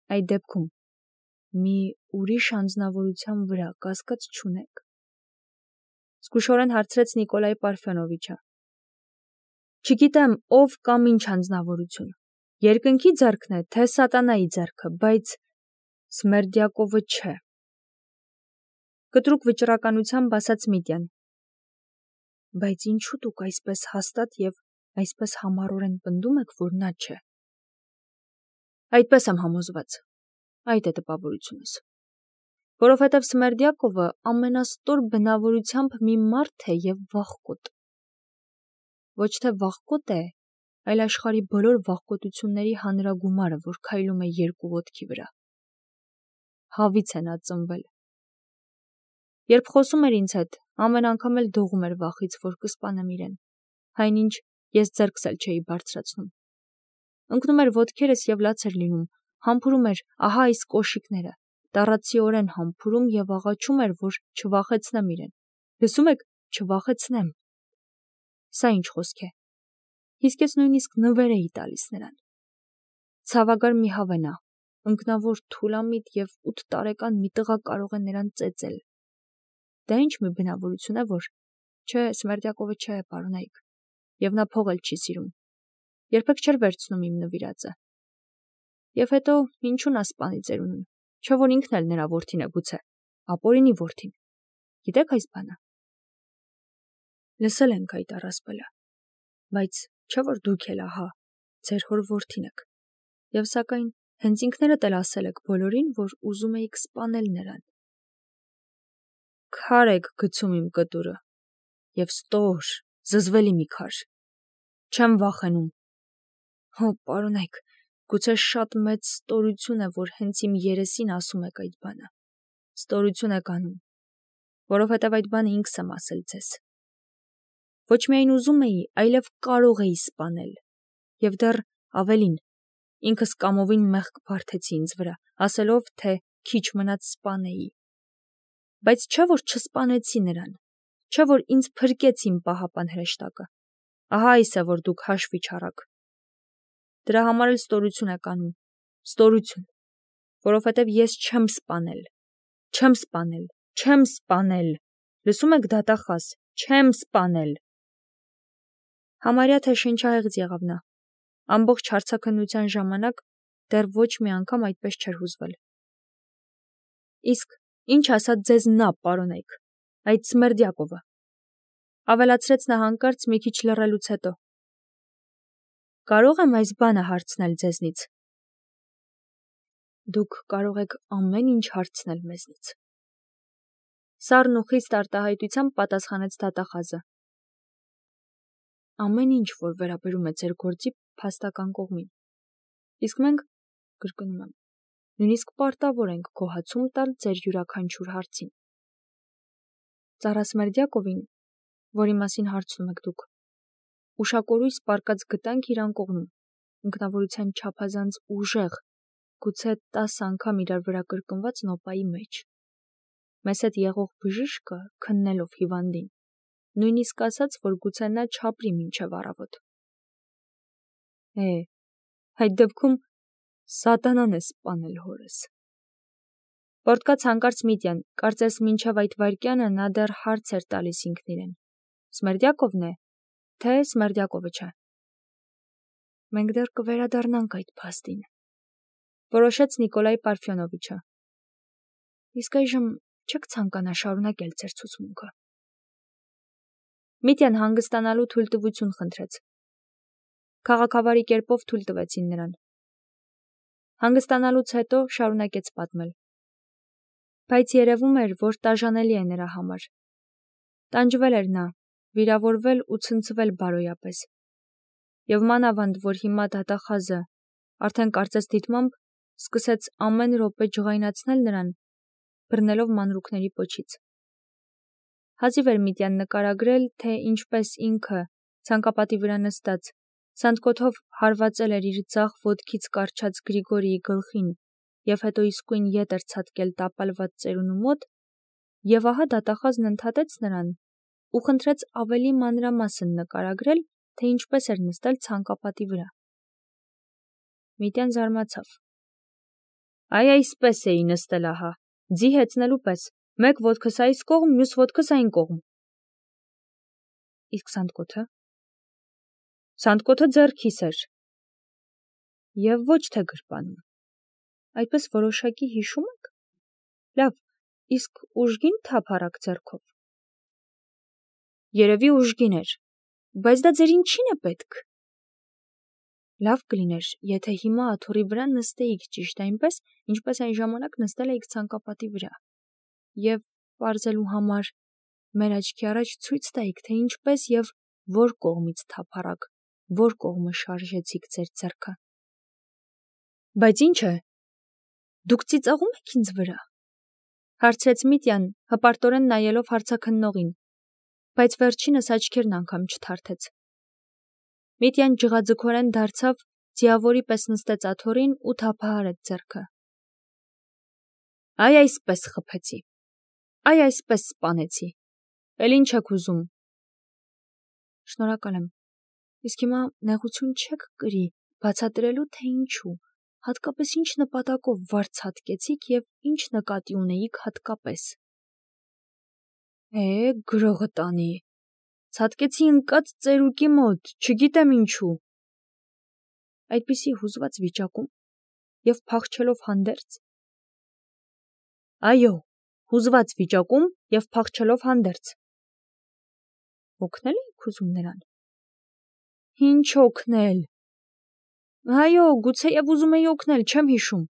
Այդ դեպքում մի ուրիշ անձնավորության վրա կասկած չունեք։ Զգուշորեն հարցրեց Նիկոլայ Պարֆյոնովիչը։ Չգիտեմ ով կամ ինչ անձնավորություն, երկնքի ձեռքն է, թե սատանայի ձեռքը, բայց Սմերդյակովը չէ։ Կտրուկ վճռականությամբ ասաց Միտյան։ Բայց ինչու դուք այսպես հաստատ եւ այսպես համառորեն պնդում եք, որ նա չէ։ Այդպես եմ համոզված։ Այդ է տպավորությունս։ Որովհետև Սմերդյակովը ամենաստոր բնավորությամբ մի մարդ է եւ վախկոտ։ Ոչ թե վախկոտ է, այլ աշխարհի բոլոր վախկոտությունների հանրագումարը, որ քայլում է երկու ոտքի վրա։ Հավից է նա ծնվել։ Երբ խոսում էր ինձ հետ, ամեն անգամ էլ դողում էր վախից, որ կսպանեմ իրեն, այնինչ ես ձեռքս էլ չէի բարձրացնում։ Ընկնում էր ոտքերս եւ լաց էր լինում, համբուրում էր ահա այս կոշիկները, տառացիորեն համբուրում եւ աղաչում էր, որ չվախեցնեմ իրեն։ Լսում եք, չվախեցնեմ։ Սա ինչ խոսք է։ Իսկ ես նույնիսկ նվեր էի տալիս նրան։ Ցավագար մի հավենա, ընկնավոր թուլամիտ եւ 8 տարեկան մի տղա կարող է նրան ծեծել։ Դա ինչ մի բնավորություն է, որ չէ, Սմերդյակովը չէ, պարոնայք, եւ նա փող էլ չի սիրում։ Երբեք չէր վերցնում իմ նվիրածը։ Եվ հետո ինչու նա սպանի ծերունուն, չէ որ ինքն էլ նրա որդին է գուցե, ապօրինի որդին։ Գիտեք այս բանը։ Լսել ենք այդ առասպելը, բայց չէ որ դուք էլ ահա ձեր հոր որդին եք։ Եվ սակայն հենց ինքներդ էլ ասել եք բոլորին, որ ուզում էիք սպանել նրան։ Քար եք գցում իմ կտուրը, եւ ստոր, զզվելի մի քար։ Չեմ վախենում։ Հո, պարոնայք, գուցե շատ մեծ ստորություն է, որ հենց իմ երեսին ասում եք այդ բանը։ Ստորություն եք անում, որովհետև այդ բանը ինքս եմ ասել ձեզ։ Ոչ միայն ուզում էի, այլև կարող էի սպանել։ Եվ դեռ ավելին, ինքս կամովին մեղք բարդեցի ինձ վրա, ասելով, թե քիչ մնաց սպանեի։ Բայց չէ որ չսպանեցի նրան, չէ որ ինձ փրկեց իմ պահապան հրեշտակը։ Ահա այս է, որ դուք հաշվի չառաք։ Դրա համար էլ ստորություն եք անում, ստորություն, որովհետև ես չեմ սպանել, չեմ սպանել, չեմ սպանել, լսում եք դատախազ, չեմ սպանել։ Համարյա թե շնչահեղձ եղավ նա, ամբողջ հարցաքննության ժամանակ դեռ ոչ մի անգամ այդպես չէր հուզվել։ Իսկ ինչ ասաց ձեզ նա, պարոնայք, այդ Սմերդյակովը, ավելացրեց նա հանկարծ մի քիչ լռելուց հետո։ Կարող եմ այս բանը հարցնել ձեզնից։ Դուք կարող եք ամեն ինչ հարցնել մեզնից։ Սառն ու խիստ արտահայտությամբ պատասխանեց դատախազը։ Ամեն ինչ, որ վերաբերում է ձեր գործի փաստական կողմին։ Իսկ մենք, կրկնում եմ, նույնիսկ պարտավոր ենք գոհացում տալ ձեր յուրաքանչյուր հարցին։ Ծառա Սմերդյակովին, որի մասին հարցնում եք դուք, ուշակորույս պարկած գտանք իր անկողնում, ինքնավորության չափազանց ուժեղ, գուցե 10 անգամ իրար վրա կրկնված նոպայի մեջ։ Մեզ հետ եղող բժիշկը քննելով հիվանդին, նույնիսկ ասաց, որ գուցե նա չապրի մինչև առավոտ։ Այդ դեպքում սատանան է սպանել հորս։ Պորտկաց հանկարծ Միտյան, կարծես մինչև այդ վայրկյանը նա դեռ հարց էր տալիս ինքն իրեն. Սմերդյակովն է, թե Սմերդյակովը չէ։ Մենք դեռ կվերադառնանք այդ փաստին, որոշեց Նիկոլայ Պարֆյոնովիչը։ Իսկ այժմ չեք ցանկանա շարունակել ձեր ցուցմունքը։ Միտյան հանգստանալու թույլտվություն խնդրեց։ Քաղաքավարի կերպով թույլ տվեցին նրան։ Հանգստանալուց հետո շարունակեց պատմել։ Բայց երևում էր, որ տաժանելի է նրա համար։ Տանջվել էր նա, վիրավորվել ու ցնցվել բարոյապես։ Եվ մանավանդ, որ հիմա դատախազը, արդեն կարծես դիտմամբ, սկսեց ամեն րոպե ջղայնացնել նրան, բռնելով մանրուքների պոչից։ Հազիվ էր Միտյան նկարագրել, թե ինչպես ինքը, ցանկապատի վրա նստած, սանդկոթով հարվածել էր իր ձախ ոտքից կառչած Գրիգորիի գլխին և հետո իսկույն ետ էր ցատկել տապալված ծերունու մոտ, և ահա դատախազն ընդհատեց նրան ու խնդրեց ավելի մանրամասն նկարագրել, թե ինչպես էր նստել ցանկապատի վրա։ Միտյան զարմացավ։ Այ այսպես էի նստել ահա, ձի հեծնելու պես, մեկ ոտքս այս կողմ, մյուս ոտքս այն կողմ։ Իսկ սանդկոթը։ Սանդկոթը ձեռքիս էր։ Եվ ոչ թե գրպանում։ Այդպես որոշակի հիշում եք։ Լավ, իսկ ուժգին թափառակ ձեռքով։ Երևի ուժգին էր, բայց դա ձեր ինչին է պետք։ Լավ կլիներ, եթե հիմա աթոռի վրա նստեիք ճիշտ այնպես, ինչպես այն ժամանակ նստել էիք ցանկապատի վրա, և պարզելու համար մեր աչքի առաջ ցույց տայիք, թե ինչպես և որ կողմից թափառակ, որ կողմը շարժեցիք ձեր ձեռքը։ Բայց ինչ է, դուք ծիծաղում եք ինձ վրա, հարցրեց Միտյան, հպարտորեն նայելով հարցաքննողին, բայց վերջինս աչքերն անգամ չթարթեց։ Միտյան ջղաձգորեն դարձավ, ձիավորի պես նստեց աթոռին ու թափահարեց ձեռքը։ Այ այսպես խփեցի, այ այսպես սպանեցի, էլ ինչ եք ուզում։ Շնորհակալ եմ, իսկ հիմա նեղություն չեք կրի բացատրելու, թե ինչու, հատկապես ինչ նպատակով վարձ հատկեցիք և ինչ նկատի ունեիք հատկապես։ Գրողը տանի, ցատկեցի ընկած ծերուկի մոտ, չգիտեմ ինչու։ Այդպիսի հուզված վիճակում և փախչելով հանդերձ։ Այո, հուզված վիճակում և փախչելով հանդերձ։ Օգնել էիք ուզում նրան։ Ինչ օգնել։ Այո, գուցեև ուզում էի օգնել, չեմ հիշում։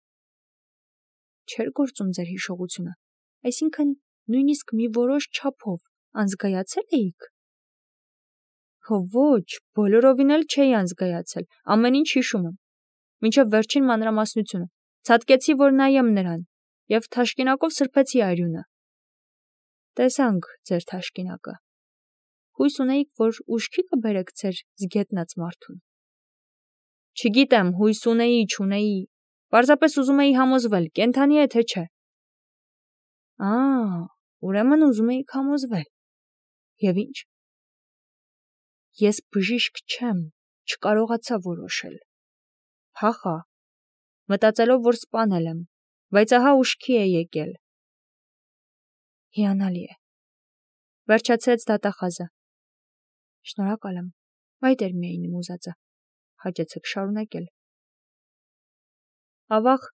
Չէր գործում ձեր հիշողությունը, այսինքն նույնիսկ մի որոշ չափով անզգայացել էիք։ Ոչ, բոլորովին էլ չէի անզգայացել, ամեն ինչ հիշում եմ, մինչև վերջին մանրամասնությունը, ցատկեցի, որ նայեմ նրան, և թաշկինակով սրբեցի արյունը։ Տեսանք ձեր թաշկինակը։ Հույս ունեիք, որ ուշքի կբերեք ձեր զգետնած մարդուն։ Չգիտեմ, հույս ունեի, չունեի, պարզապես ուզում էի համոզվել, կենդանի է, թե չէ։ Ուրեմն ուզում էիք համոզվել։ Եվ ինչ։ Ես բժիշկ չեմ, չկարողացա որոշել։ Փախա, մտածելով, որ սպանել եմ, բայց ահա ուշքի է եկել։ Հիանալի է։ Վերջացրեց դատախազը։ Շնորհակալ եմ, այդ էր միայն իմ ուզածը, հաճեցեք շարունակել։ Ավաղ,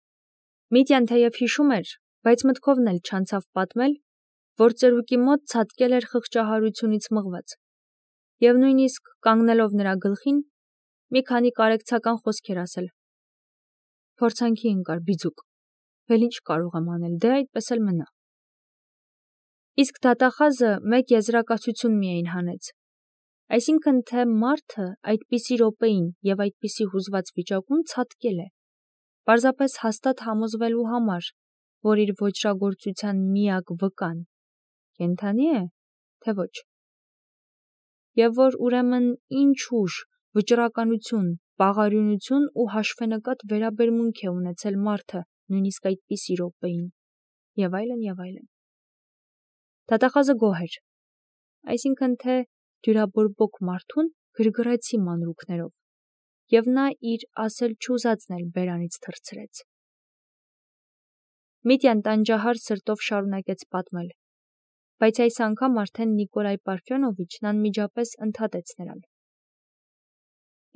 Միտյան թեև հիշում էր, բայց մտքովն էլ չանցավ պատմել, որ ծերուկի մոտ ցատկել էր խղճահարությունից մղված, և նույնիսկ կանգնելով նրա գլխին, մի քանի կարեկցական խոսքեր ասել։ Փորձանքի ընկար բիձուկ, էլ ինչ կարող եմ անել, դե այդպես էլ մնա։ Իսկ դատախազը մեկ եզրակացություն միայն հանեց, այսինքն թե մարդը այդպիսի րոպեին և այդպիսի հուզված վիճակում ցատկել է, պարզապես հաստատ համոզվելու համար, որ իր ոճրագործության միակ վկան կենդանի է, թե ոչ։ Եվ որ ուրեմն ինչ ուժ, վճռականություն, պաղարյունություն ու հաշվենկատ վերաբերմունք է ունեցել մարդը նույնիսկ այդպիսի րոպեին, և այլն, և այլն։ Դատախազը գոհ էր, այսինքն թե դյուրաբորբոք մարդուն գրգռեցի մանրուքներով, և նա իր ասել չուզածն էլ բերանից թռցրեց։ Միտյան տանջահար սրտով շարունակեց պատմել, բայց այս անգամ արդեն Նիկոլայ Պարֆյոնովիչն անմիջապես ընդհատեց նրան։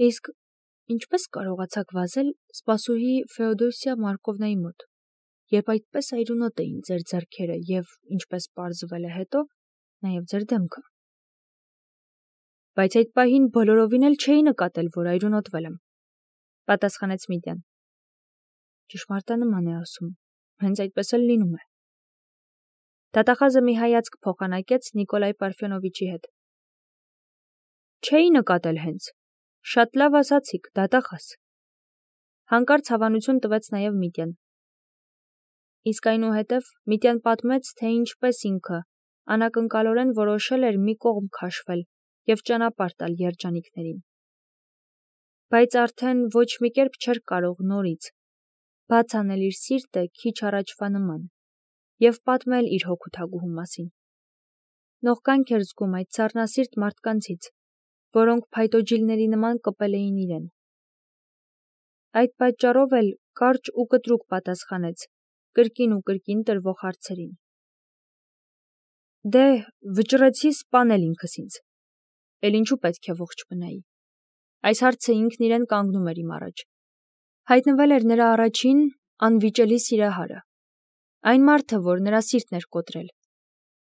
Իսկ ինչպես կարողացաք վազել սպասուհի Ֆեոդոսիա Մարկովնայի մոտ, երբ այդպես այրունոտ էին ձեր ձեռքերը և, ինչպես պարզվել է հետո, նաև ձեր դեմքը։ Բայց այդ պահին բոլորովին էլ չէի նկատել, որ այրունոտվել եմ, պատասխանեց Միտյան։ Ճշմարտանման է ասում, հենց այդպես էլ լինում է։ Դատախազը մի հայացք փոխանակեց Նիկոլայ Պարֆյոնովիչի հետ։ Չէի նկատել հենց, շատ լավ ասացիք, դատախազ։ Հանկարծ հավանություն տվեց նաև Միտյան։ Իսկ այնուհետև Միտյան պատմեց, թե ինչպես ինքը անակնկալորեն որոշել էր մի կողմ քաշվել և ճանապարհ տալ երջանիկներին։ Բայց արդեն ոչ մի կերպ չէր կարող նորից բաց անել իր սիրտը քիչ առաջվա նման և պատմել իր հոգուտագուհու մասին։ Նողկանք էր զգում այդ սառնասիրտ մարդկանցից, որոնք փայտոջիլների նման կպել էին իրեն։ Այդ պատճառով էլ կարճ ու կտրուկ պատասխանեց կրկին ու կրկին տրվող հարցերին։ Դե, վճռեցի սպանել ինքս ինձ։ Էլ ինչու պետք է ողջ մնայի։ Այս հարցը ինքն իրեն կանգնում էր իմ առաջ։ Հայտնվել էր նրա առաջին անվիճելի սիրահարը, այն մարդը, որ նրա սիրտն էր կոտրել,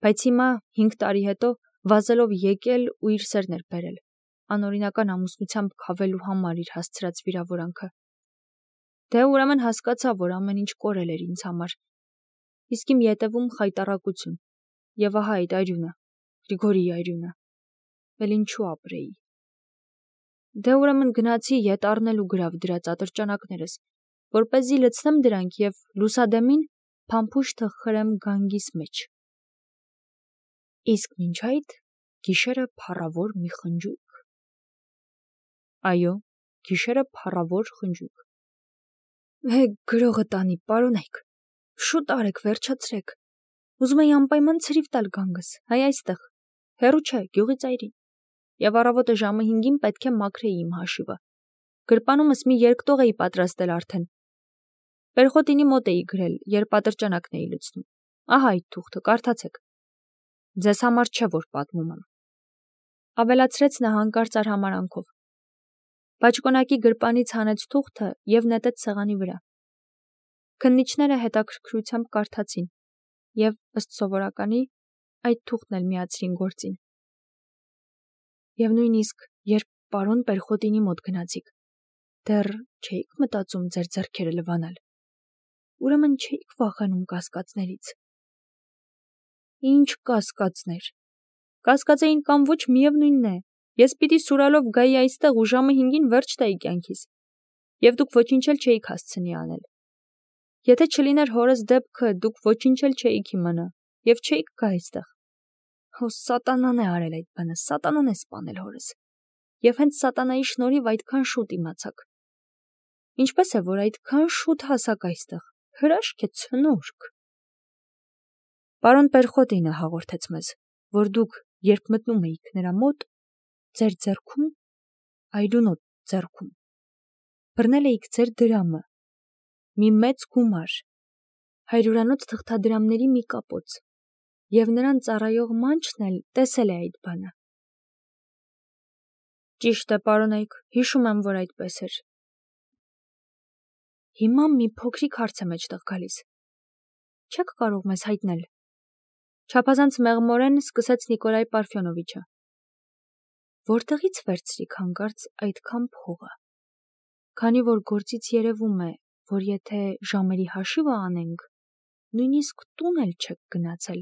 բայց հիմա 5 տարի հետո վազելով եկել ու իր սերն էր բերել, անօրինական ամուսնությամբ քավելու համար իր հասցրած վիրավորանքը։ Դե ուրեմն հասկացա, որ ամեն ինչ կորել էր ինձ համար, իսկ իմ ետևում խայտառակություն, եւ ահա այդ այրյունը, Գրիգորիի այրյունը, էլ ինչու ապրեի։ Դե ուրեմն գնացի ետ առնելու գրավ դրած ատրճանակներս, որպեսզի լցնեմ դրանք եւ լուսադեմին փամփուշտը խրեմ գանգիս մեջ։ Իսկ մինչ այդ գիշերը փառավոր մի խնջույք։ Այո, գիշերը փառավոր խնջույք։ Գրողը տանի, պարոնայք, շուտ արեք, վերջացրեք։ Ուզում էի անպայման ցրիվ տալ գանգս, հայ այստեղ, հեռու չէ, գյուղի ծայրին։ Եվ առավոտը ժամը 5-ին պետք է մաքրեի իմ հաշիվը։ Գրպանումս մի երկտող էի պատրաստել արդեն։ Պերխոտինի մոտ էի գրել, երբ ատրճանակն էի լցնում։ Ահա այդ թուղթը, կարդացեք։ Ձեզ համար չէ, որ պատմում եմ։ Ավելացրեց նա հանկարծ արհամարանքով։ Բաճկոնակի գրպանից հանեց թուղթը եւ նետեց սեղանի վրա։ Քննիչները հետաքրքրությամբ կարդացին եւ ըստ սովորականի այդ թուղթն էլ միացրին գործին։ Եվ նույնիսկ երբ պարոն Պերխոտինի մոտ գնացիք, դեռ չէիք մտածում ձեր ձեռքերը լվանալ։ Ուրեմն չէիք վախենում կասկածներից։ Ինչ կասկածներ։ Կասկածեին կամ ոչ միևնույնն է։ Ես պիտի սուրալով գայի այստեղ ու ժամը 5-ին վերջ տայի կյանքիս։ Եվ դուք ոչինչ էլ չէիք հասցնի անել։ Եթե չլիներ հորս դեպքը, դուք ոչինչ էլ չէիք իմանա եւ չէիք գա այստեղ։ Հո սատանան է արել այդ բանը, սատանան է սպանել հորս։ Եվ հենց սատանայի շնորհիվ այդքան շուտ իմացաք։ Ինչպես է, որ այդքան շուտ հասաք այստեղ։ Հրաշք է, ցնորք։ Պարոն Պերխոտինը հաղորդեց մեզ, որ դուք, երբ մտնում էիք նրա մոտ, ձեր ձեռքում, այրունոտ ձեռքում, բռնել էիք ձեր դրամը, մի մեծ գումար, 100-անոց թղթադրամների մի կապոց, եւ նրան ծառայող մանչն էլ տեսել է այդ բանը։ Ճիշտ է, պարոնայք, հիշում եմ, որ այդպես էր։ Հիմա մի փոքրիկ հարց է մեջտեղ գալիս։ Չեք կարող մեզ հայտնել։ Չափազանց մեղմորեն սկսեց Նիկոլայ Պարֆյոնովիչը։ Որտեղից վերցրիք հանկարծ այդքան փողը։ Քանի որ գործից երևում է, որ եթե ժամերի հաշիվը անենք, նույնիսկ տուն էլ չեք գնացել։